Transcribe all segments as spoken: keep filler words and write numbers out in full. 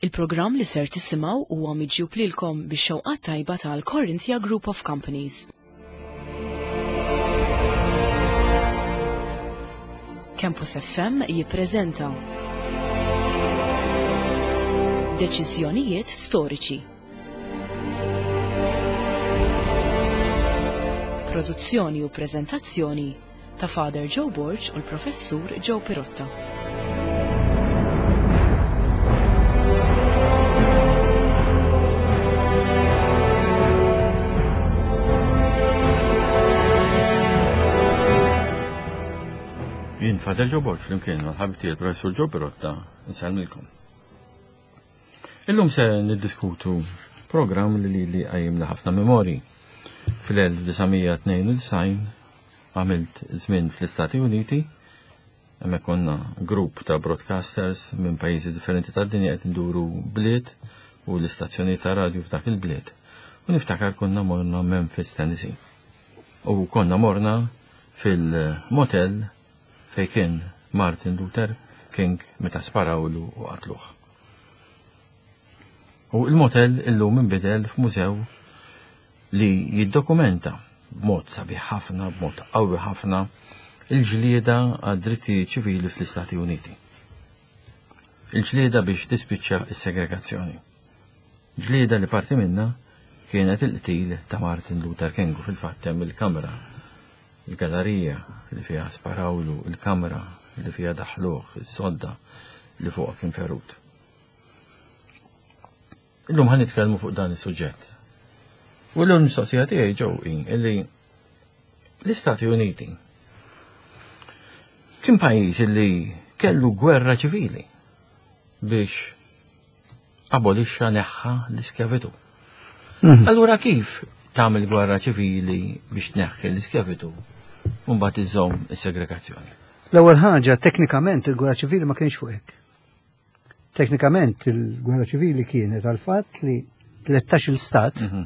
Il-programm li ser tisimgħu huwa miġjub lilkom bix-xewqat tajba tal-Corinthia Group of Companies. Campus F M jippreżenta Deċiżjonijiet storiċi. Produzzjoni u preżentazzjoni ta' Father Joe Borg u l-Professur Joe Pirotta. Jien Father Joe Borg flimkien mal-ħabib tiegħi il-Professur Joe Pirotta nsellmilkom. Illum se niddiskutu programm li lili qajjimna ħafna memorji. Fl-elf disa' mija tnejn u disgħin għamilt żmien fl-Istati Uniti, hemmhekk konna grupp ta' broadcasters minn pajjiżi differenti tad-dinja qed nduru bliet u l-istazzjonijiet ta' radju f'dak il-bliet. U niftakar konna morna Memphis, Tennessee. U konna morna fil-motel fejn kien Martin Luther King meta sparawlu u qatluh. U il-motel illum inbidel f'mużew li jiddokumenta b'mod sabiħ ħafna, b'mod qawwi ħafna, il-ġlieda għad-drittijiet ċivili fl-Istati Uniti. Il-ġlieda biex tispiċċa s-segregazzjoni. Ġlieda li parti minna kienet il-qtil ta' Martin Luther King u fil-fatt hemm il-kamra, il-gallerija li fiha sparawlu, il-kamra li fiha daħluh, is-sodda li fuqha kien ferut. Illum ħa nitkellmu fuq dan is-suġġett. U l-lum mistoqsija tiegħi Joe hi illi l-Istati Uniti kien pajjiż illi kellu gwerra ċivili biex abolixxa neħħa l-iskjavitu. Mhm. Allura kif tagħmel gwerra ċivili biex tneħħi l-iskjavitu u mbagħad iżomm is-segregazzjoni? L-ewwel ħaġa, teknikament il-gwerra ċivili ma kienx fuq hekk. Teknikament il-gwerra ċivili kienet għal fatt li tlettax-il stat, Mhm.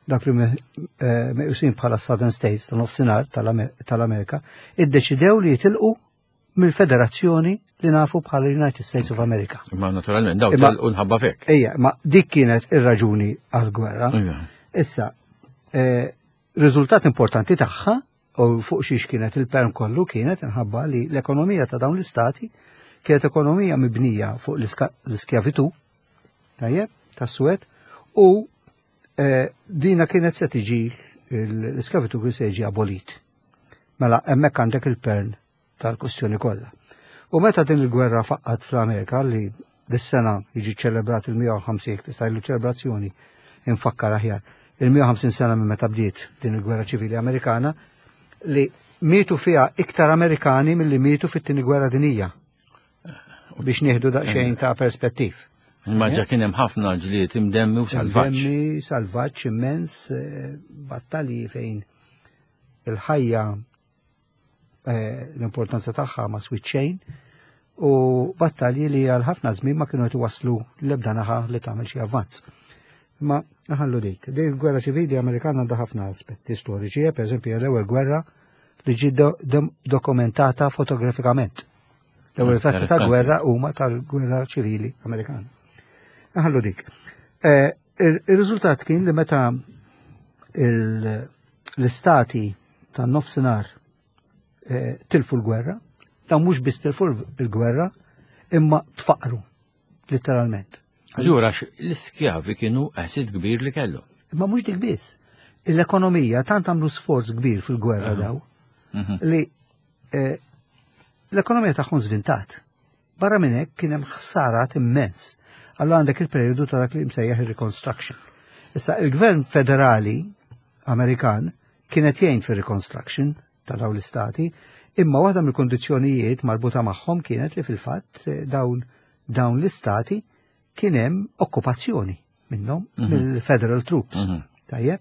dak li me-, eh, meqjusin bħala Southern States ta' nofsinhar tal-Amer-, tal-Amerika, iddeċidew li jitilqu mill-federazzjoni li nafu bħala United States of America. Imma naturalment daw Imma telqu nħabba fek. Ejja, ma dik kienet ir-raġuni għall-gwerra. Ejja. Issa, eh, riżultat importanti tagħha u fuq xiex kienet il-perm kollu kienet inħabba li l-ekonomija ta' dawn l-istati kienet ekonomija mibnija fuq l-iska-, l-iskjavitu, tajjeb, tas-Suwed, u, eh, dina kienet se tiġi l-iskjavitu kien se jiġi abolit. Mela hemmhekk għandek il-pern tal-kwestjoni kollha. U meta din il-gwerra faqqat fl-Amerika li dis-sena jiġi ċelebrat il-mija u ħamsin, jekk tista' jgħidu ċelebrazzjoni infakkar aħjar, il-mija u ħamsin sena minn meta bdiet din il-gwerra ċivili Amerikana, li mietu fiha iktar Amerikani milli mietu fit-tieni gwerra dinjija. Biex nieħdu daqsxejn ta' perspettiv. Imma ġa kien hemm ħafna ġlied imdemmi u salvaġġ. Imdemmi, salvaġġ immens, eh, battalji fejn il-ħajja, eh, l-importanza tagħha ma swit xejn, u battalji li għal ħafna żmien ma kienu qed iwasslu l-ebda naħa li tagħmel xi avvanz. Ma naħallu dik. Din il-gwerra ċivili Amerikana għandha ħafna aspetti storiċi, eh, per eżempju l-ewwel gwerra li ġiet do-, dom-, dokumentata fotografikament. L-ewwel ritratti ta' Interessanti. gwerra huma tal-gwerra ċivili Amerikana. Naħallu dik. Eh, il-, il-riżultat kien li meta il-, l-istati tan-nofsinhar, eh, tilfu l-gwerra, dawn mhux biss tilfu l-gwerra, imma tfaqru, letteralment. Żgur, għax l-iskjavi kienu asset kbir li kellu. Imma mhux dik biss. L-ekonomija tant għamlu sforz kbir fil-gwerra Aha. daw Mhm. li, eh, l-ekonomija tagħhom żvintat. Barra minn hekk kien hemm ħsarat immens. Allora għandek il-perjodu ta' dak li msejjaħ il-reconstruction. Issa il-gvern federali Amerikan kienet jgħin fir-reconstruction ta' dawn l-istati, imma waħda mill-kondizzjonijiet marbuta magħhom kienet li fil-fatt, eh, dawn, dawn l-istati kien hemm okkupazzjoni minnhom Mhm. mill-federal troops. Mhm. Tajjeb?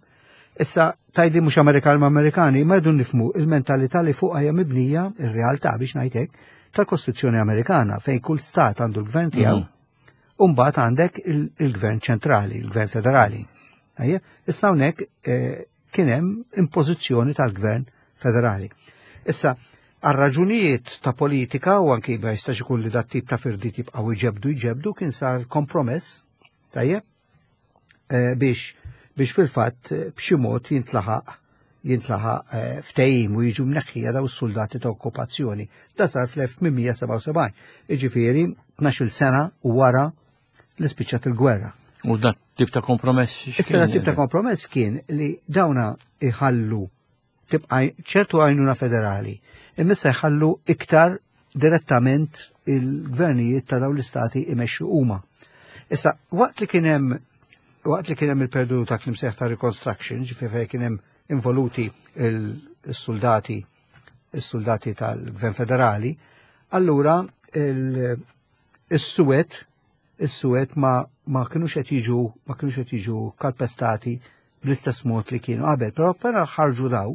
Issa tajdi mhux Amerikan ma' Amerikani, ma rridu nifhmu il-mentalità li fuqha hija mibnija ir-realtà biex ngħidlek tal-Kostituzzjoni Amerikana fejn kull stat għandu l-gvern tiegħu Mhm. u mbagħad għandek il-, il-gvern ċentrali, il-gvern federali. Tajjeb? Issa hawnhekk, eh, kien hemm impożizzjoni tal-gvern federali. Issa, Għal raġunijiet ta' politika u anki ma jistax ikun li dat tip ta' firdiet jibqgħu jġebdu jġebdu kien sar kompromess, tajjeb, eh, biex biex fil-fatt eh, b'xi mod jintlaħaq jintlaħaq eh, ftehim u jiġu mneħħija daw is-soldati ta' okkupazzjoni. Da sar fl-elf tmien mija sebgħa u sebgħin, jiġifieri tnax-il sena wara li spiċċat il-gwerra. U dat tip ta' kompromess? Issa dat tip ta' kompromess kien li dawna iħallu tibqa' ċertu għajnuna federali, imma issa jħallu iktar direttament il-gvernijiet ta' dawn l-istati imexxu huma. Issa, waqt li kien hemm waqt li kien hemm il-periodu ta' klim ta' reconstruction, ġifieri fejn kien hemm involuti il-soldati il-soldati tal-gvern federali, allura il-Suwed is-Suwed ma ma kienux qed jiġu ma kienux qed jiġu kalpestati bl-istess mod li kienu qabel, però però ħarġu daw,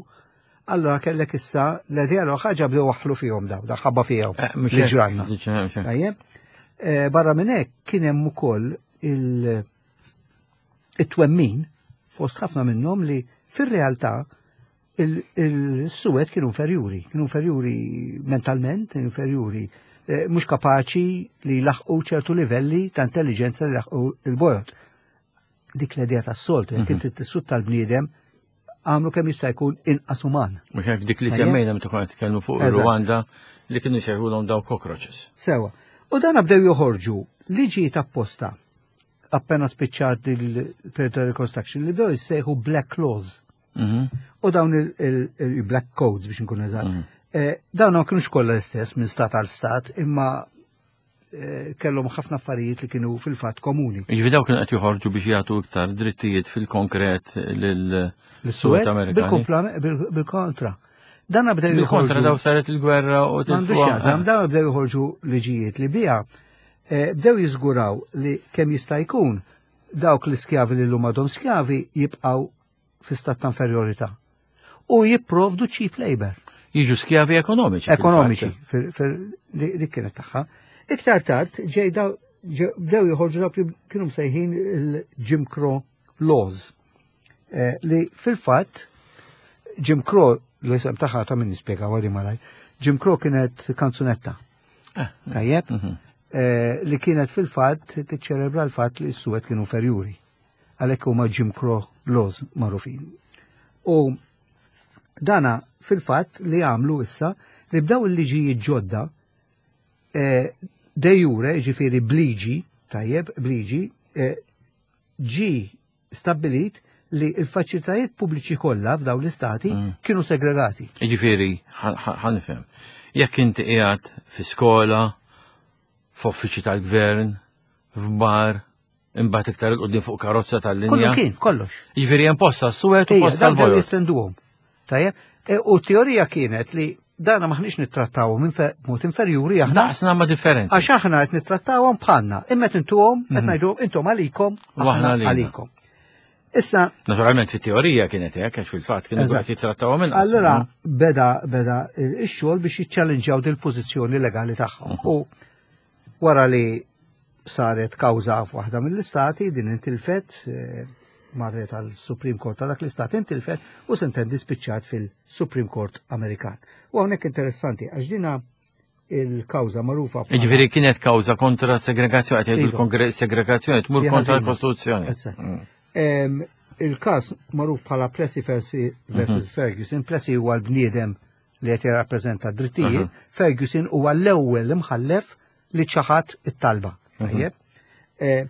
allora kellek issa l-idea l ħaġa bdew waħlu fihom daw, da ħabba fihom Eh, mhux li hekk, ġranna. mhux hekk. Tajjeb. Eh, Barra minn hekk kien hemm ukoll il- it-twemmin fost ħafna minnhom li fir-realtà il-Suwed kienu inferjuri, kienu inferjuri mentalment, inferjuri, eh, mhux kapaċi li laħqu ċertu livelli ta' intelligenza li laħqu il-bojod. Dik l-idea tas-soltu, jekk inti tissut tal-bniedem, għamlu kemm jista' jkun inqas uman. Mhux hekk dik li Tajjeb. semmejna meta konna nitkellmu fuq Eżatt. Rwanda li kienu jsejħulhom daw cockroaches. Sewa. U dan bdew joħorġu liġijiet apposta appena spiċċat il-periodu reconstruction li bdew jissejħu Black Laws. Mhm. U dawn il-Black Codes biex nkun eżatt. Mhm. Eh, Dawn ma kienux kollha l-istess minn stat għal stat, imma eh, kellhom ħafna affarijiet li kienu fil-fatt komuni. Jiġifieri daw kienu qed joħorġu biex jagħtu iktar drittijiet fil-konkret lil Suwed Amerikani. Bil-kompla- bil- Bil-kontra. Dan bdew Bil-kontra joħorġu. daw saret il-gwerra u M'għandux tilfuha. x'jaqsam, dawn bdew joħorġu liġijiet li bija eh, bdew jiżguraw li kemm jista' jkun dawk l-iskjavi li llum għadhom skjavi jibqgħu fi stat ta' inferjorità. U jipprovdu cheap labor. Jiġu skjavi ekonomiċi. Ekonomiċi, fil-fatt. fil- fil- li dik kienet tagħha. Iktar tard ġej daw ġe- bdew joħorġu dawk li kienu msejħin il-Jim Crow laws. Eh, li fil-fatt Jim Crow l-isem tagħha ta' min nispjega għadi malaj. Jim Crow kienet kanzunetta. Eh, Tajjeb? mhm. Eh, li kienet fil-fatt tiċċelebra l-fatt li s-suwed kienu inferjuri. Għalhekk huma Jim Crow laws magħrufin. U dana fil-fatt li għamlu issa li bdaw il-liġijiet ġodda eh, de jure, ġifieri bliġi, tajjeb, bliġi, eh, ġi stabbilit li il-faċilitajiet pubbliċi kollha f'dawn l-istati Mm. kienu segregati. Jiġifieri, ħa nifhem. Jekk inti qiegħed fi skola, f'uffiċċju tal-gvern, f'bar, imbagħad iktar 'il quddiem fuq karozza Kollu tal-linja. kien, kollox. Jiġifieri hemm posta s-suwed u Ija, posta dan bdew l-bojod. jestenduhom. Tajjeb, E, u teorija kienet li dana maħniex nittrattawhom infe- b'mod inferjuri aħna Daqsna ma differenti. għax aħna qed nittrattawhom bħalna, imma qed intuhom qed ngħidu intom għalikom, U aħna aħna għalina. għalikom. Issa, Naturalment fit-teorija kienet hekk għax fil-fatt kienu Eżatt. qed jittrattawhom inqas. Allora beda beda ix-xogħol biex jiċċallenġjaw dil pożizzjoni legali tagħhom. U wara li saret kawża f'waħda mill-istati din intilfet, eh, marret għal Supreme Court ta' dak l-istat intilfet u sentendi spiċċat fil-Supreme Court Amerikan. U hawnhekk interessanti għax dina il-kawża magħrufa bħala- Jiġifieri kienet kawża kontra segregazzjoni, qed jgħidu Iva. l-segregazzjoni tmur Hija kontra ħażina. l-Kostituzzjoni. Eżatt. Mm. Em, Il-kas magħruf bħala Plessy versus versus Ferguson, Plessy huwa l-bniedem li qed jirrappreżenta d-drittijiet, Ferguson huwa l-ewwel imħallef li ċaħat it-talba. Tajjeb? Eh,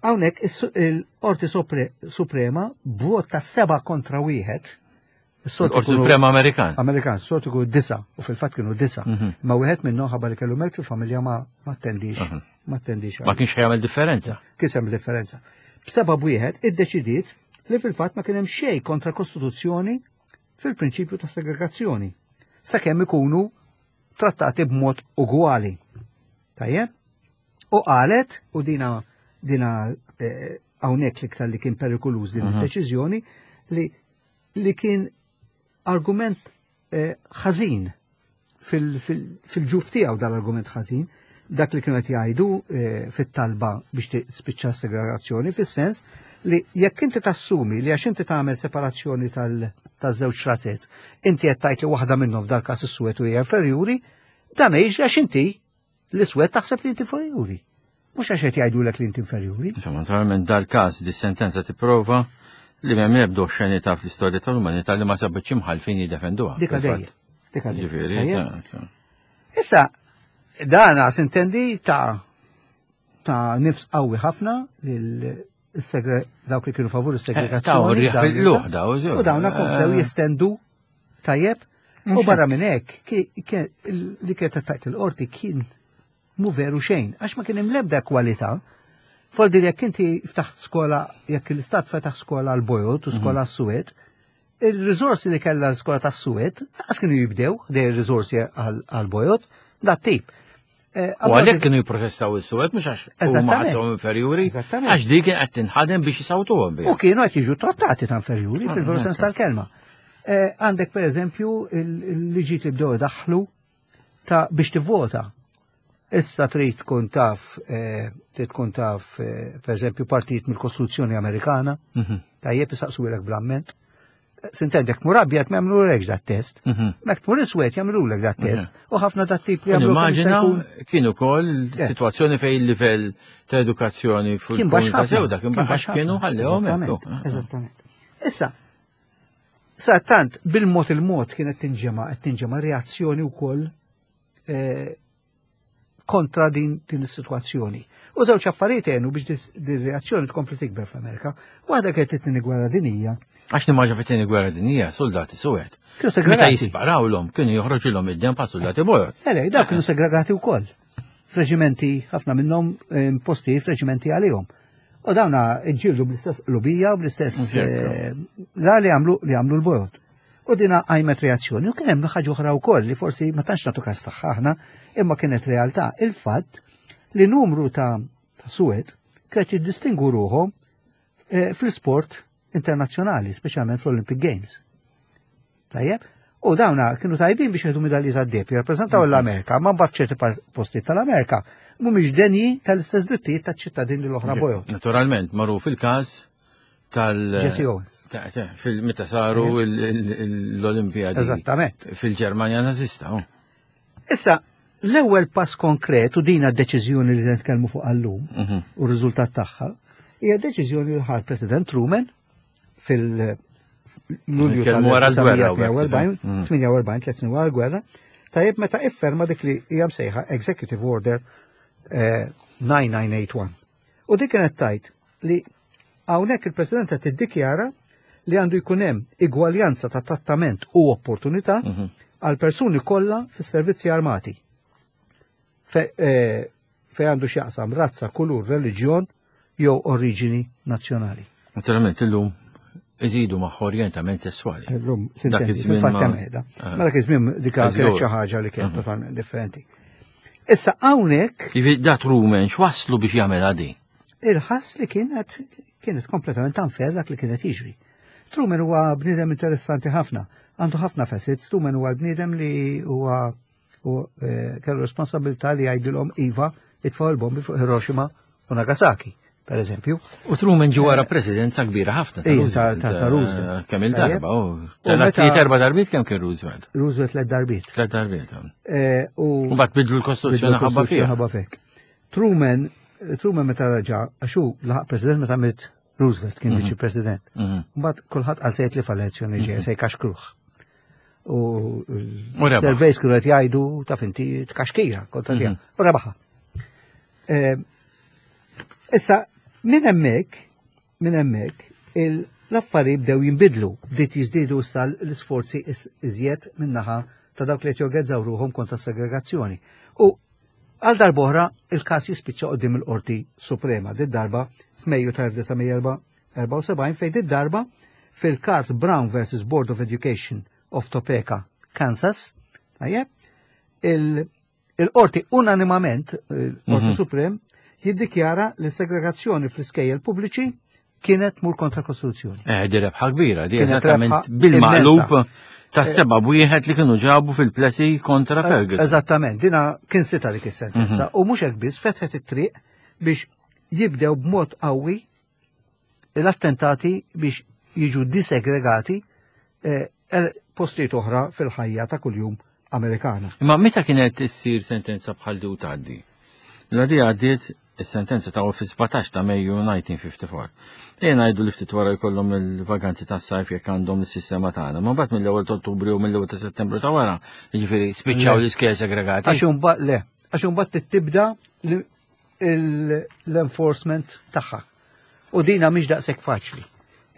Hawnhekk is- il-Qorti Supre- Suprema b'vot ta' seba' kontra wieħed. is-soltu Il-Qorti jkunu- Suprema Amerikan. Amerikan, soltu jkunu disa, u fil-fatt kienu disa. Mhm. Ma wieħed minnhom ħabba li kellu mewt fil-familja ma ma attendix, Mhm. ma attendix. Ma kienx jagħmel differenza. Kisem differenza. B'seba' b'wieħed iddeċidiet li fil-fatt ma kien hemm xejn kontra Kostituzzjoni fil-prinċipju ta' segregazzjoni, sakemm ikunu trattati b'mod ugwali. Tajjeb? U qalet, u dina dina eh, hawnhekk l-iktar li kien perikoluż din Mhm. id-deċiżjoni, li li kien argument eh, ħażin fil-ġuf tiegħu dal-argument ħażin Dak li kienu qed jgħidu eh, fit-talba biex tispiċċa segregazzjoni, fis-sens li jekk inti tassumi li għax inti tagħmel separazzjoni taż-żewġ razzez, inti qed tgħid li waħda minnhom, f'dal każ is-suwed, hija inferjuri, dan jiġri għax inti l-iswed taħseb li inti inferjuri. Mhux għax qed jgħidulek li inti inferjuri. Insomma, naturalment dal-każ, di sentenza tipprova li m'hemm ebda oxxenità fl-istorja tal-umanità li ma sabitx imħalfin jiddefenduha. Dika dejjem. Dika dejjem. Ġifieri, Tajjeb? ta- Issa, dana sintendi ta' ta' nifs qawwi ħafna lil segre dawk li kienu favur Ta' is-segregazzjoni. rriħ dawn- fil-luħ daw. U dawna komplew jestendu, tajjeb. U barra minn hekk ki- ki- li kienet tajt il-qorti kien mu veru xejn, għax ma kien hemm l-ebda kwalità. Foldi jekk inti ftaħt skola, jekk l-istat fetaħ skola għal bojod u skola għas-suwed, il-riżorsi li kellha l-skola tas-suwed, għas kienu jibdew dej il-riżorsi għal-bojod, dat tip. Eh, U għalhekk kienu jipprotestaw is-suwed, mhux għax huma Eżattament. ħasshom inferjuri, Eżattament. għax dik kien qed tinħadem biex jisawtuhom biha. U kienu qed jiġu trattati ta' inferjuri Ah, fil-veru sens ecco. tal-kelma. Eh, Għandek per eżempju il-liġijiet li bdew daħlu ta' biex tivvota. Issa trid tkun taf, eh, trid tkun taf, eh, per eżempju, partijiet mill-Kostituzzjoni Amerikana, Mhm, tajjeb, isaqsulek bl-amment. Sintendi, jekk tmur abjad ma jagħmlulekx dat test. mhm. Mek tmur iswed jagħmlulek dat test. U ħafna dat tip li jagħmlu kemm jista' Immaġina jkun- kien ukoll Eh. situazzjoni fejn il-livell ta' edukazzjoni Kien baxx fil-komunità ħafna. sewda kien Kien baxx, baxx kienu ħafna. ħallewhom Eżattament, hekk. Eżattament. Issa, sa tant bil-mod il-mod kienet tinġema, qed tinġema reazzjoni wkoll eh, kontra din din is-sitwazzjoni. U żewġ affarijiet għenu biex dis- din reazzjoni tkompli tikber fl-Amerika. Waħda kienet it-tieni gwerra dinija. Għax nimmaġina fit-tieni gwerra dinjija soldati suwed. Kienu Meta segregati. jisparawlhom kienu joħroġilhom id-dem pa' soldati bojod. Ele, dawk kienu segregati wkoll. F'reġimenti, ħafna minnhom eh, posti f'reġimenti għalihom. U dawna ġġieldu bl-istess qlubija u bl-istess Ġekku. eh, la li għamlu li għamlu l-bojod. U dina għajmet reazzjoni. U kien hemm ħaġa oħra wkoll li forsi ma tantx nagħtu każ tagħha aħna, imma kienet realtà, il-fatt li numru ta' ta' suwed kienet jiddistingu ruħhom eh, fl-sport internazzjonali, speċjalment fl-Olympic Games. Tajjeb? U dawna kienu tajbin biex jieħdu medalji tad-deheb, jirrappreżentaw l-Amerika, ma mbagħad f'ċerti par- postijiet tal-Amerika mhumiex denji tal-istess drittijiet taċ-ċittadini l-oħra bojod. Naturalment, magħruf il-każ tal- Jesse Owens. ta' ta' fil meta saru il- il- l-Olimpijadi Eżattament. fil-Ġermanja nazista. oh. Issa, l-ewwel pass konkret u dina d-deċiżjoni li nitkellmu fuq għallum Mhm. u r-riżultat tagħha hija deċiżjoni li ħa President Truman fil- Lulju Nitkellmu wara l-gwerra, u hekk, mm. tal-tmenja u erbgħin, tliet snin wara l-gwerra, tajjeb, meta ifferma dik li hija msejħa Executive Order eh, nine nine eight one. U dik kienet tgħid li hawnhekk il-President qed tiddikjara li għandu jkun hemm igwaljanza ta' trattament u opportunità Mhm. għal persuni kollha fis-servizzi armati. Fe, eh, fe għandu x'jaqsam razza, kulur, reliġjon jew oriġini nazzjonali. Naturalment illum iżidu ma' orjentament sessuali. Illum, Dak sintendi, iż-żmien fil-fatt ma- hemm qiegħda. Ah. Ma dak iż-żmien dik kienet Żgur. xi ħaġa li kienet Mhm. totalment differenti. Issa hawnhekk Jiġifieri da Truman x'waslu biex jagħmel għadi? il-ħass li kienet kienet kompletament unfair dak li kienet jiġri. Truman huwa bniedem interessanti ħafna, għandu ħafna facets. Truman huwa bniedem li huwa u eh, kellu responsabilità li jgħidilhom iva, itfgħu il-bombi fuq Hiroshima u Nagasaki, per eżempju. U Truman ġi wara presidenza kbira ħafna ta' Ija, Roosevelt. ta'- ta' Roosevelt. Eh, Kemm il-darba, u U meta- tliet erba' darbiet, kemm kien Roosevelt? Roosevelt tliet darbiet. Tliet darbiet. Eh, U U mbagħad bidlu l-Kostituzzjoni ħabba fiha. ħabba fek. Truman, Truman meta raġa, għaxu laħaq president meta miet Roosevelt, kien Mhm. viċi president. Mhm. Mbagħad kulħadd qal se jitlef għall-elezzjoni ġejja, se jkaxkruh. U U rebaħ. surveys kienu qed jgħidu taf inti tkaxkira kontra tiegħu. Mhm. U rebaħha. Eh, Issa, minn hemmhekk, minn hemmhekk, il- l-affarijiet bdew jinbidlu, bdiet jiżdiedu issa l-isforzi is- iżjed min-naħa ta' dawk li qed jorganizzaw ruħhom kontra segregazzjoni. U għal darb'oħra il-każ jispiċċa qudiem il-Qorti Suprema, dit darba f'Mejju ta' elf disa' mija erbgħa u sebgħin, fejn dit darba fil-każ Brown versus Board of Education of Topeka, Kansas, tajjeb, il- il-qorti unanimament, il-Qorti Mhm. Suprem, jiddikjara li segregazzjoni fl-iskejjel pubbliċi kienet tmur kontra Kostituzzjoni. Eh, di rebħa kbira, di Kienet eżattament rebħa bil-maqlub immensa. ta' seba wieħed li kienu ġabu fil-Plessy kontra Ferguson. Eżattament, dina kien sita dik is-sentenza. U mhux hekk biss fetħet it-triq biex jibdew b'mod qawwi l-attentati biex jiġu disegregati eh, el- postijiet oħra fil-ħajja ta' kuljum Amerikana. Imma meta kienet issir sentenza bħal di u tgħaddi? La di għaddiet is-sentenza ta' fi sbatax ta' Mejju elf disa' mija ħamsa u erbgħin. Ejja ngħidu li ftit wara jkollhom il-vaganzi tas-sajf jekk għandhom is-sistema tagħna. Ma mbagħad mill-ewwel ta' Ottubru u mill-ewwel ta' Settembru ta' wara, jiġifieri spiċċaw Le. l-iskejjel segregati. Għax imbagħad le, għax imbagħad tibda l- il- l-enforcement tagħha. U dina mhix daqshekk faċli.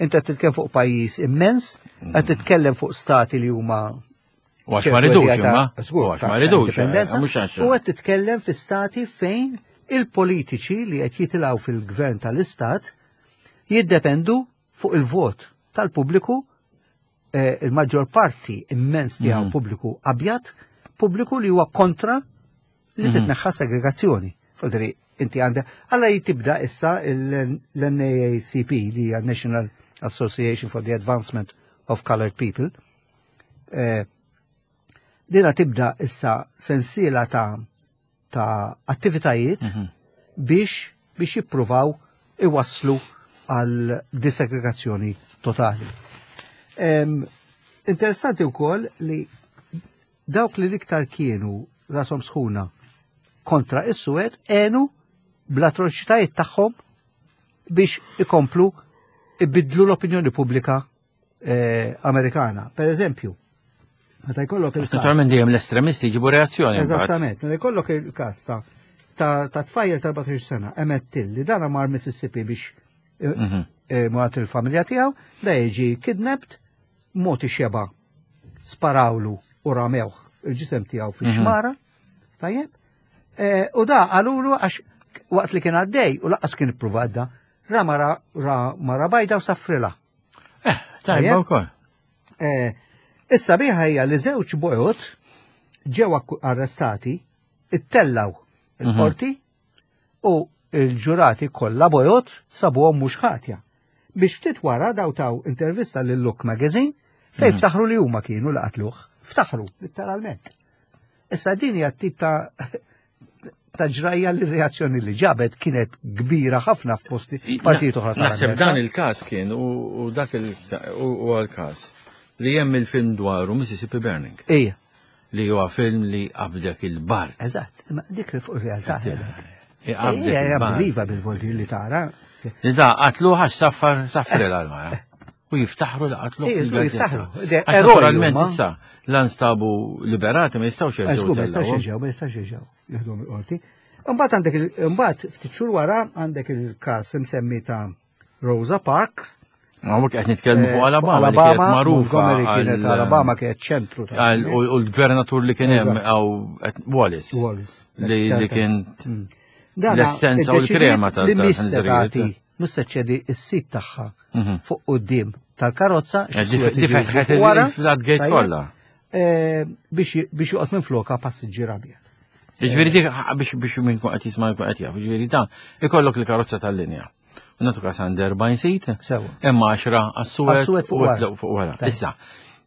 Inta titkellem fuq pajjiż immens, qed titkellem fuq stati li huma U għax ma ridux ċertu imma. Żgur, U għax ta' ma ridux, indipendenza. eh, mhux għax. U qed titkellem fi stati fejn il-politiċi li qed jitilgħu fil-gvern tal-istat jiddependu fuq il-vot tal-pubbliku, eh, il-maġġor parti immens tiegħu Mhm. pubbliku abjad, pubbliku li huwa kontra li Mhm. titneħħa segregazzjoni. Fodri, inti għandek, alla jitibda issa l-N A A C P, li hija National Association for the Advancement of Colored People, eh, dina tibda issa sensiela ta' ta' attivitajiet Mhm. biex biex jippruvaw iwasslu għal disegregazzjoni totali. Em, interessanti wkoll li dawk li l-iktar kienu rashom sħuna kontra is-suwed għenu bl-atroċitajiet tagħhom biex ikomplu ibidlu l-opinjoni pubblika eh, Amerikana. Per eżempju, meta jkollok il-każ Naturalment dejjem l-estremisti jġibu reazzjoni mbagħad. Eżattament, meta jkollok il-każ ta' ta' ta' tfajjel ta' erbatax-il sena, Emmett Till, li dana mar Mississippi biex eh, Mhm. eh, murat il-familja tiegħu, da jiġi kidnapped, mogħti xeba, sparawlu u ramewh il-ġisem tiegħu fix-xmara, tajjeb? Eh, U da qalulu għax waqt li kien għaddej u lanqas kien ippruvat da, ra mara ra mara bajda u saffrilha. Eh, tajba Tajjeb. wkoll. Eh, Issa biħa hija li żewġ bojot ġew akku- arrestati, ittellaw il-qorti u il-ġurati kollha bojot sabuhom mhux ħatja. Biex ftit wara daw taw intervista lil Look Magazine fejn ftaħru li huma kienu li qatluh. Ftaħru, letteralment. Issa din hija tip ta' ta' ġrajja li reazzjoni li ġabet kienet kbira ħafna f'posti partijiet oħra Naħseb tal-Amerika. dan il-każ kien u u dak il u u għal-każ li hemm il-film dwaru Mississippi Burning, Ija, li huwa film li qabdek il-bard. Eżatt, imma dik fuq ir-realtà. Qabdek Ija, il-bard. unbelievable li tara. Li da qatlu għax saffar saffri l-mara. U jiftaħru li qatlu. Ija, żgur, jiftaħru. De- Għax eroj naturalment huma. issa la nstabu liberati ma jistgħux jerġgħu Żgur, ma jistax tellgħuhom. jerġgħu, ma jistax jerġgħu jieħduhom il-qorti. Imbagħad għandek il- imbagħad ftit xhur wara għandek il-każ imsemmi ta' Rosa Parks. Ma mhux qed nitkellmu fuq Eh, Alabama li kienet magħrufa. Montgomery kienet għal- Alabama kienet ċentru ta' għal- U u l-gvernatur li kien hemm Eżatt. għaw Wallace. Wallace. Li li kien Mm. Dana l-essenza u l-krema iddeċidiet tal- li mhix se tal-ħanżerijiet. tagħti, mhux se ċedi s-sit tagħha Mhm. fuq quddiem tal-karozza, Eh, x'suwed Di jiġu fetħet fuq wara, il-floodgate tajjeb, kollha. eh, biex biex joqgħod minn floka passiġġier abjad. Ġifieri dik biex biex minn kun qed jisma' jkun qed jaf, ġifieri dan ikollok il-karozza tal-linja. U nagħtu każ għand erbgħin seat, Sewa. imma għaxra għas-suwed Għas-suwed fuq u wara. tlew fuq wara. Tajjeb. Issa,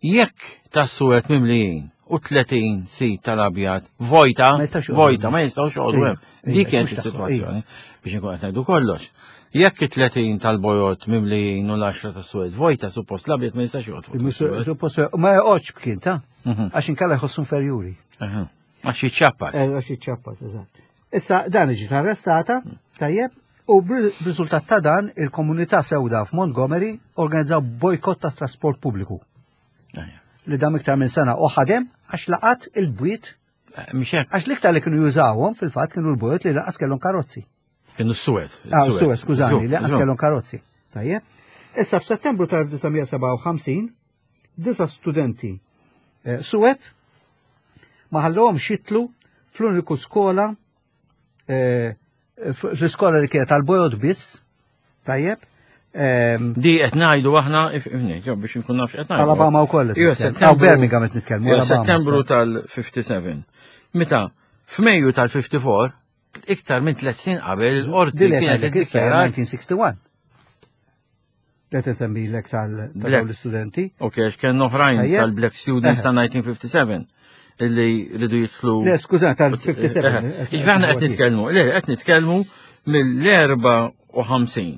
jekk tas-suwed mimlijin u tletin seat tal-abjad vojta, Ma jistax joqogħdu vojta, hemm. ma jistgħux joqogħdu Ija, hemm. ija, Dik kienet mhux tagħhom, is-sitwazzjoni biex inkun qed ngħidu kollox. Jekk it-tletin tal-bojot mimlijin u l-għaxra tas-suwed vojta, suppost l-abjad ma jistax joqgħod fuq tas-suwed. Suppost ma joqgħodx bkien ta' Mhm. għax inkella jħossu inferjuri. Aha. Għax jiċċappas. Eh, Għax jiċċappas, eżatt. Issa dan ġiet arrestata, tajjeb, u b'riżultat ta' dan il-komunità sewda f'Montgomery organizzaw bojkott ta' trasport pubbliku Ejja. li dam iktar minn sena u ħadem għax laqat il-bwiet, Eh, Mhix hekk, għax l-iktar li kienu jużawhom fil-fatt kienu l-bwiet li lanqas kellhom karozzi. Kienu s-suwed. Ah, suwed, skużani, li lanqas Żgur. kellhom karozzi. Tajjeb. Issa f'Settembru tal-elf disa' mija sebgħa u ħamsin, disa studenti eh, suwed ma ħallhomx jitilgħu fl-uniku skola eh, fl-iskola li kienet għal-bojod biss, tajjeb, ehm, Di qed ngħidu aħna if- ifni, ġo biex nkun naf x'qed ngħidu. Alabama wkoll qed Iva, nitkellmu. Settembru- Aw, Birmingham qed nitkellmu, Iva, Alabama, Settembru sa. tal-ħamsa u ħamsin. Meta f'Mejju tal-ħamsa u erbgħin, iktar minn tliet snin qabel, il-qorti Dili kienet qed issa iddikjarat elf disa' mija wieħed u sittin. Li insemmilek Black. tal-istudenti. Ok, għax kien oħrajn Tajjeb. tal-Black Students Eħe. ta' elf disa' mija u ħamsa u ħamsin illi rridu jidħlu. Le, skuża, tal-ħamsa u sebgħin. Ġifieri aħna qed nitkellmu, le, qed nitkellmu mill-erbgħa u ħamsin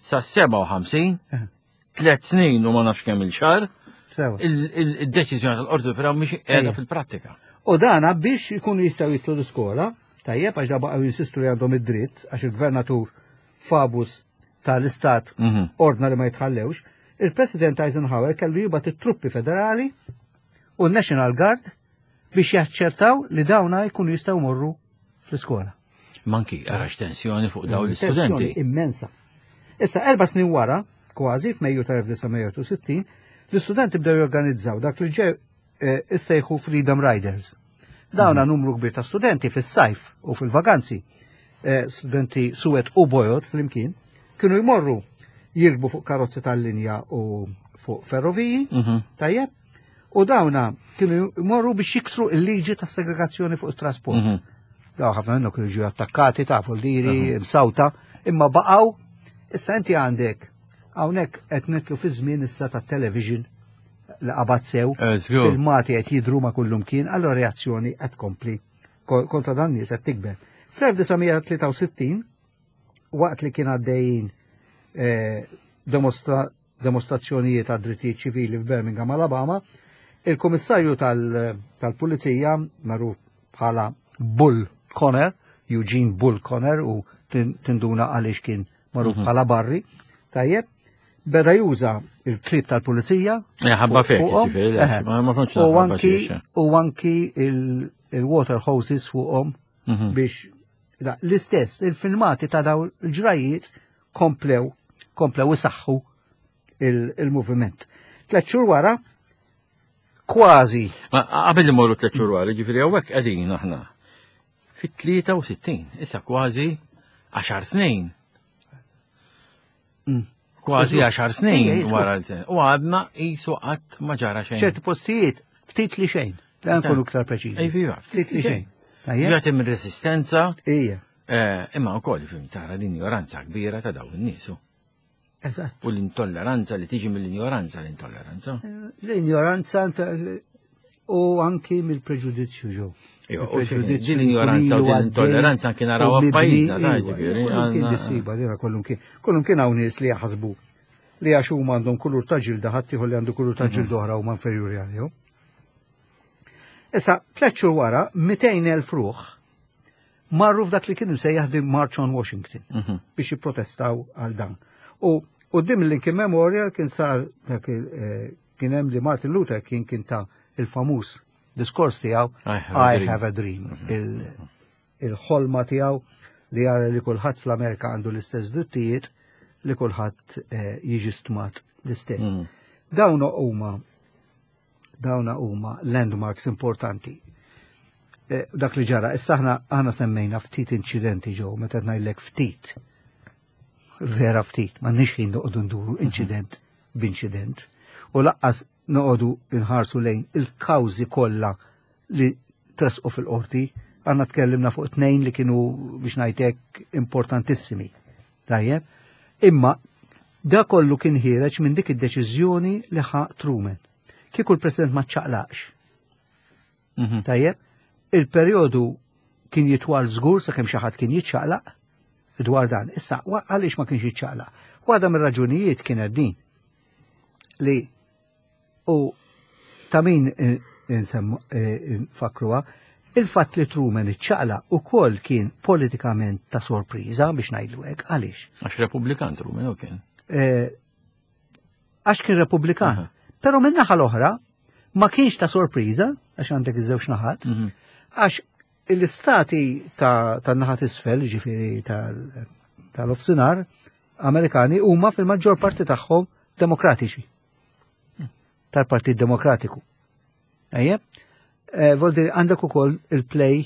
sa sebgħa u ħamsin, Eħe. tliet snin u ma nafx kemm il-xahar, Sewa. il-deċiżjoni tal-Qorti Suprema mhix qiegħda Ejja. fil-prattika. U dana biex ikunu jistgħu jidħlu l-iskola, tajjeb, għax da baqgħu jinsistu li għandhom id-dritt, għax il-gvernatur Faubus tal-istat Mhm. ordna li ma jitħallewx, il-President Eisenhower kellu jibgħat it-truppi federali u n-National Guard biex jaċċertaw li dawna jkunu jistgħu morru fl-iskola. Manki, għarax tensjoni fuq dawn Tensjoni l-istudenti. immensa. Issa, erba' snin wara, kważi f'Mejju tal-elf disa' mija u sittin, l-istudenti bdew jorganizzaw dak li ġew eh, issejħu Freedom Riders. Dawna numru kbir ta' studenti fis-sajf u fil-vaganzi, eh, studenti suwed u bojod flimkien, kienu jmorru jirkbu fuq karozzi tal-linja u fuq ferroviji, Mhm. tajjeb, u dawna kienu jmorru biex jiksru il-liġi ta' segregazzjoni fuq it-trasport. Mhm. Daw ħafna minnhom kienu ġew attakkati ta' diri, msawta, imma baqgħu. Issa inti għandek hawnhekk qed nidħlu fi żmien issa tat-television li qabad sew, Eh, żgur. filmati qed jidru ma' kullum kien, allora reazzjoni qed tkompli ko- kontra dan nies qed tikber. Fl-elf disa' mija tlieta u sittin, waqt li kien għaddejjin eh, demostra, demostrazzjonijiet għad drittijiet ċivili f'Birmingham, Alabama, il-komissarju tal- tal-pulizija, magħruf bħala Bull Connor, Eugene Bull Connor, u tin- tinduna għaliex kien magħruf bħala Barry, tajjeb, beda juża il-klieb tal-pulizija. Eh, ħabba fuq- fek, fuqhom, ġifieri, le, eħe. ma- ma kontx U naf ħabba anki xiex. u anki il- il-water hoses fuqhom Mhm. biex da, l-istess, il-filmati ta' daw il-ġrajiet komplew, komplew isaħħu il- il-moviment. Tlet xhur wara, kważi Ma qabel li morru tliet xhur wara, ġifieri hawnhekk qegħdin aħna fit-tlieta u sittin, issa kważi għaxar snin. Mm. Kważi Iżgur. għaxar snin Ejja, iżgur. wara l U għadna qisu qatt ma ġara xejn. ċerti postijiet ftit li xejn. La nkunu iktar preċiżi. Ej, iva, Ftit li xejn. Tajjeb? Ġat hemm resistenza, Ija. eh, imma wkoll fim tara l-injoranza kbira ta' dawn in-nies. u. Eżatt. U l-intolleranza li tiġi mill-injoranza l-intolleranza. L-ignoranza u anki mill-preġudizzju ġew. Iva, u din l-ignoranza u din l-intolleranza anki narawha f'pajjiżna, ta' ġifieri, Kien għandna- dissiba, dina kollum kien. Kollum kien hawn nies li jaħsbu li għax huma għandhom kulur ta' ġilda ħadd li għandu kulur ta' ġilda oħra huma inferjuri għalihom. Issa, tliet xhur wara, mitejn elf ruħ marru f'dak li kien imsejjaħ the March on Washington Mhm. biex jipprotestaw għal dan. U quddiem il-Lincoln Memorial kien sar dak il- eh, kien hemm li Martin Luther King kien ta il-famuż diskors tiegħu I have a I dream. have a dream. Il- Il-ħolma tiegħu li jara li kulħadd fl-Amerika għandu l-istess drittijiet li kulħadd eh, jiġi stmat l-istess. Mhm. Dawn huma dawna huma landmarks importanti. Eh, dak li ġara, issa aħna aħna semmejna ftit inċidenti ġew, meta qed ngħidlek ftit. Vera ftit, ma nix ħin noqogħdu nduru inċident b'inċident. U lanqas noqogħdu nħarsu lejn il-kawżi kollha li tresqu fil-qorti, għanna tkellimna fuq tnejn li kienu biex ngħidlek importantissimi. Tajjeb? Imma da kollu kien ħiereġ minn dik id-deċiżjoni li ħa Truman. Kieku l-President ma ċaqlaqx. Mhm. Tajjeb, il-perjodu kien jitwal żgur sakemm xi ħadd kien jiċċaqlaq dwar dan. Issa, wa- għaliex ma kienx jiċċaqlaq? Waħda mir-raġunijiet kienet din li u ta' min eh, insemmu- eh, nfakruha, il-fatt li Truman iċċaqlaq ukoll kien politikament ta' sorpriża biex ngħidlu hekk, għaliex? Għax Repubblikan Truman u kien. Eh, għax kien Repubblikan. Aha. Però minn naħa l-oħra ma kienx ta' sorpriża għax għandek iż-żewġ naħat, Mhm. għax l-istati ta' tan-naħa t'isfel, ġifieri tal- tal-ofsinar, Amerikani huma fil-maġġor parti tagħhom demokratiċi. Tal-Partit Demokratiku. Ejjeb? Eh, Vuol dire għandek ukoll il-play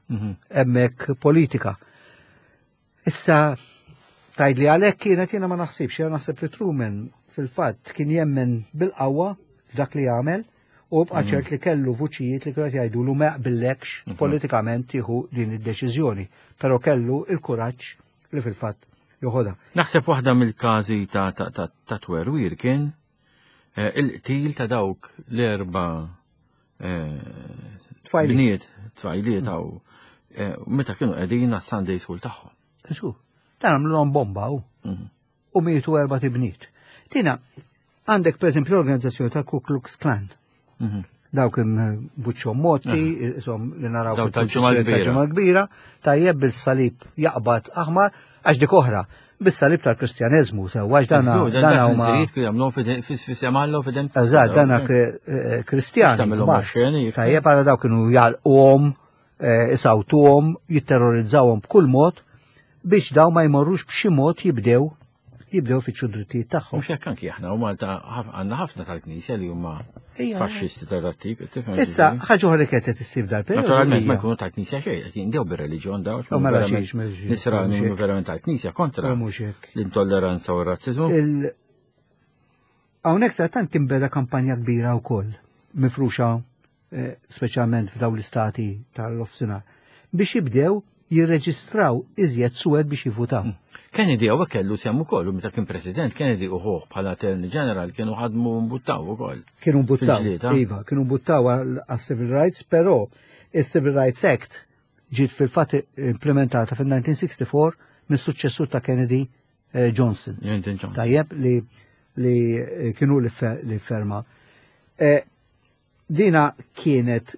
Mhm. hemmhekk politika. Issa, tgħid li għalhekk kienet, jiena ma naħsibx, jiena naħseb li Truman fil-fatt kien jemmen bil-qawwa f'dak li jagħmel u bqa' ċert li kellu vuċijiet li kienu jgħidulu ma jaqbillekx politikament tieħu din id-deċiżjoni, però kellu il-kuraġġ li fil-fatt joħodha. Naħseb waħda mill-każi ta' ta' ta' ta' twerwir kien eh, il-qtil ta' dawk l-erba' eh, Tfajliet. bniet, tfajliet għaw eh, meta kienu qegħdin għas-Sunday School tagħhom. Żgur. Dan għamluhom bomba u. Mhm. U mietu erba' tibniet. Tina, għandek per eżempju l-organizzazzjoni tal-Ku Klux Klan. Mhm. Dawk buċċom moti, isom li naraw Daw fil-pulizija tal-Ġimgħa l-Kbira. tal-Ġimgħa l-Kbira, tajjeb bil-salib jaqbad aħmar, għax dik oħra, bil-salib tal-Kristjaneżmu, sew għax dana Żgur, dan dana dak huma il-żrijiet kienu jagħmluhom fis-semallu fidem. Eżatt, dana eh, Kristjani. Tagħmilhom kbar. xeni. Tajjeb għara daw kienu jalquhom, eh, isawtuhom, jitterrorizzawhom b'kull mod biex daw ma jmorrux b'xi mod jibdew jibdew fittxu drittijiet tagħhom. Mhux hekk anki aħna u Malta ħaf- għandna ħafna tal-Knisja li huma Ejja. faxxisti tal-tip, tifhem Issa, ġifieri? ħaġa oħra li kienet qed issir dal-perjodu. Naturalment ma hija- jkunu tal-Knisja xejn, qed jindew bir-reliġjon daw. U mela xiex, mela xiex, Nisrani mhux hekk. verament tal-Knisja kontra U mhux hekk. l-intolleranza u r-razziżmu. Il- Hawnhekk sa tant kien beda kampanja kbira wkoll mifruxa eh, speċjalment f'dawn l-istati tal-ofsinhar biex jibdew jirreġistraw iżjed suwed biex jivvutaw. Kennedy hawnhekk kellu sehem ukoll u meta kien president Kennedy u ħuh bħala attorney general kienu ħadmu mbuttaw ukoll. Kienu mbuttaw, Fil-ġlieda. iva, kienu mbuttaw għal civil rights, però il-Civil Rights Act ġiet fil-fatt implementata fil-elf disa' mija u sitta u sittin mis-suċċessur ta' Kennedy eh, Johnson. Lyndon Johnson. Tajjeb li li eh, kienu li fe- li ferma. Eh, Dina kienet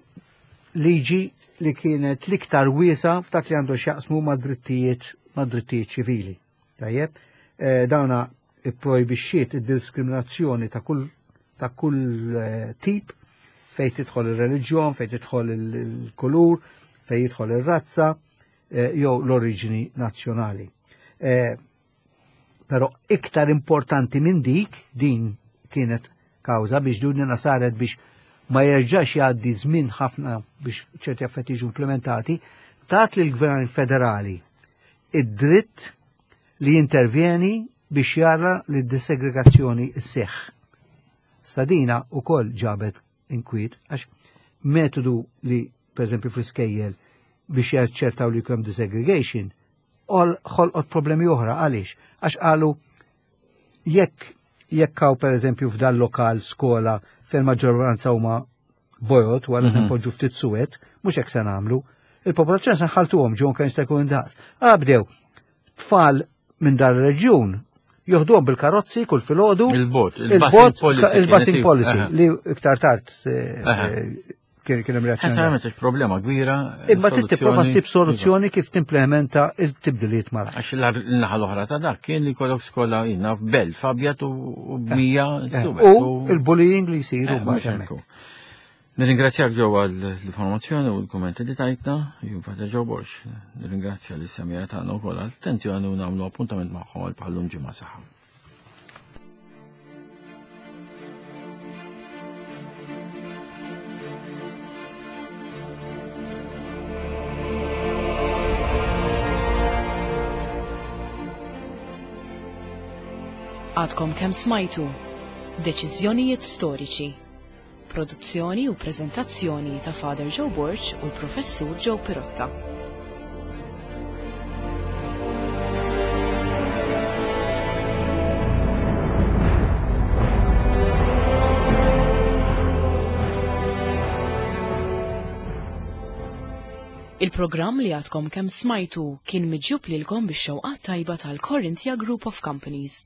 liġi li kienet l-iktar wiesa f'dak li għandu x'jaqsmu ma' drittijiet ma' drittijiet ċivili. Tajjeb, eh, dawna ipprojbixxiet id-diskriminazzjoni ta' kull ta' kull eh, tip fejn tidħol ir-reliġjon, fejn tidħol il-kulur, fejn jidħol ir-razza eh, jew l-oriġini nazzjonali. Eh, Però iktar importanti minn dik, din kienet kawża biex dunina saret biex ma jerġax jgħaddi żmien ħafna biex ċerti affetti jiġu implementati, tat lill gvern federali id-dritt li jintervjeni biex jara li d-disegregazzjoni sseħħ. Sadina u koll ġabet inkwiet, għax metodu li, per eżempju, fl-iskejjel biex jaċċertaw li kem desegregation, ol ħolqot problemi oħra, għaliex? Għax qalu jekk jekk hawn per eżempju f'dan lokal skola fejn maġġoranza huma bojod u għal Mhm. poġġu ftit suwed, mhux hekk se nagħmlu, il-popolazzjoni se nħaltuhom ġew kemm jista' jkun indaqs. Għala bdew tfal minn dar reġjun joħduhom bil-karozzi kull filgħodu Il-bot, il-bot, il-busing il-busing kienet- policy Aha. li iktar tard eh, Aha. eh, kien kien hemm reazzjoni. Ħansa problema kbira. Imma trid tipprova ssib soluzzjoni. soluzzjoni kif timplementa il-tibdiliet malajr. Għax l-naħa l-oħra ta' dak kien li kollok skola jina f'belt abjad u u b'mija Eh, suwed. U il-bullying li jsiru Eh, mbagħad mhux hemmhekk. hekk hu. Nirringrazzjak ġew għall-informazzjoni u l-kummenti li tajtna, jien Father Joe Borg. Nirringrazzja lis-semija tagħna wkoll għall-attenzjoni u nagħmlu appuntament magħhom għal bħallum ġimgħa saħħa. Għadkom kemm smajtu Deċiżjonijiet storiċi. Produzzjoni u preżentazzjoni ta' Father Joe Borg u l-Professur Joe Pirotta. Il-programm li għadkom kemm smajtu kien miġjub lilkom bix-xewqat tajba tal-Corinthia Group of Companies.